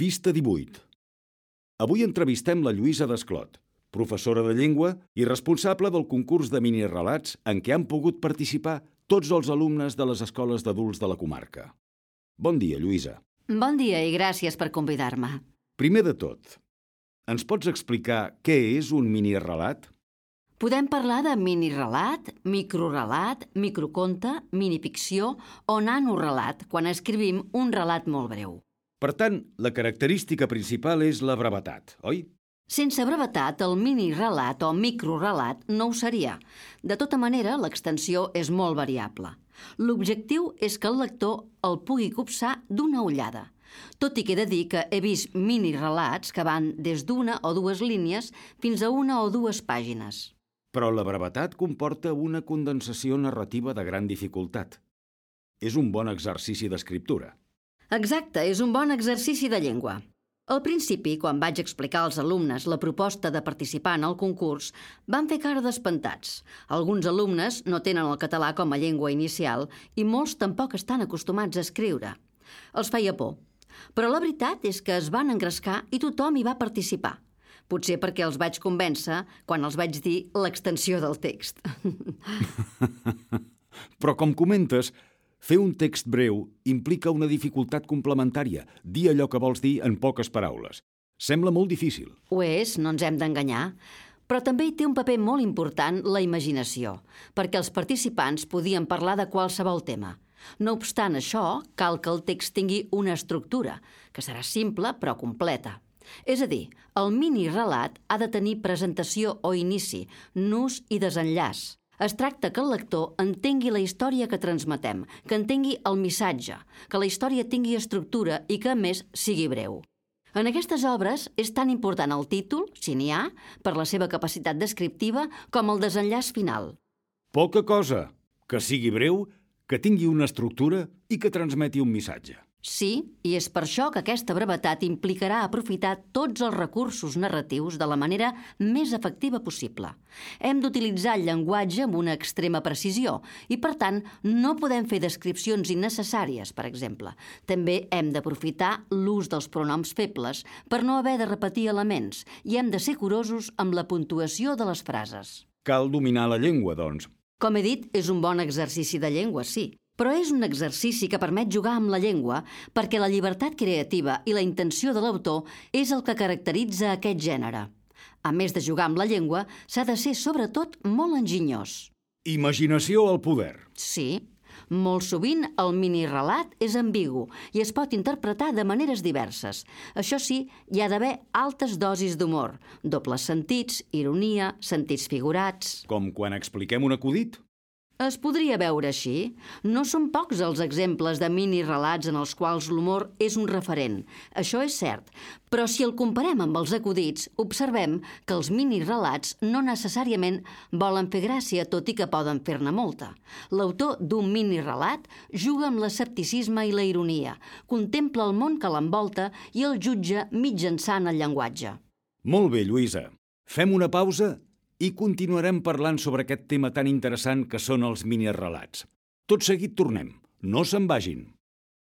Pista 18. Avui entrevistem la Lluïsa Desclot, professora de llengua i responsable del concurs de minirelats en què han pogut participar tots els alumnes de les escoles d'adults de la comarca. Bon dia, Lluïsa. Bon dia i gràcies per convidar-me. Primer de tot, ens pots explicar què és un minirelat? Podem parlar de minirelat, microrelat, microconte, minificció o nanorelat quan escrivim un relat molt breu. Per tant, la característica principal és la brevetat, oi? Sense brevetat, el minirelat o microrelat no ho seria. De tota manera, l'extensió és molt variable. L'objectiu és que el lector el pugui copsar d'una ullada. Tot i que he de dir que he vist minirelats que van des d'una o dues línies fins a una o dues pàgines. Però la brevetat comporta una condensació narrativa de gran dificultat. És un bon exercici d'escriptura. Exacte, és un bon exercici de llengua. Al principi, quan vaig explicar als alumnes la proposta de participar en el concurs, van fer cara d'espantats. Alguns alumnes no tenen el català com a llengua inicial i molts tampoc estan acostumats a escriure. Els feia por. Però la veritat és que es van engrescar i tothom hi va participar. Potser perquè els vaig convèncer quan els vaig dir l'extensió del text. Però com comentes, fer un text breu implica una dificultat complementària, dir allò que vols dir en poques paraules. Sembla molt difícil. Ho és, no ens hem d'enganyar. Però també hi té un paper molt important la imaginació, perquè els participants podien parlar de qualsevol tema. No obstant això, cal que el text tingui una estructura, que serà simple però completa. És a dir, el minirelat ha de tenir presentació o inici, nus i desenllaç. Es tracta que el lector entengui la història que transmetem, que entengui el missatge, que la història tingui estructura i que, a més, sigui breu. En aquestes obres és tan important el títol, si n'hi ha, per la seva capacitat descriptiva, com el desenllaç final. Poca cosa, que sigui breu, que tingui una estructura i que transmeti un missatge. Sí, i és per això que aquesta brevetat implicarà aprofitar tots els recursos narratius de la manera més efectiva possible. Hem d'utilitzar el llenguatge amb una extrema precisió i, per tant, no podem fer descripcions innecessàries, per exemple. També hem d'aprofitar l'ús dels pronoms febles per no haver de repetir elements i hem de ser curosos amb la puntuació de les frases. Cal dominar la llengua, doncs. Com he dit, és un bon exercici de llengua, sí. Però és un exercici que permet jugar amb la llengua perquè la llibertat creativa i la intenció de l'autor és el que caracteritza aquest gènere. A més de jugar amb la llengua, s'ha de ser, sobretot, molt enginyós. Imaginació al poder. Sí, molt sovint el minirelat és ambigu i es pot interpretar de maneres diverses. Això sí, hi ha d'haver altes dosis d'humor, dobles sentits, ironia, sentits figurats... Com quan expliquem un acudit? Es podria veure així. No són pocs els exemples de minirelats en els quals l'humor és un referent. Això és cert. Però si el comparem amb els acudits, observem que els minirelats no necessàriament volen fer gràcia, tot i que poden fer-ne molta. L'autor d'un minirelat juga amb l'escepticisme i la ironia, contempla el món que l'envolta i el jutja mitjançant el llenguatge. Molt bé, Lluïsa. Fem una pausa i continuarem parlant sobre aquest tema tan interessant que són els minirelats. Tot seguit tornem. No se'n vagin.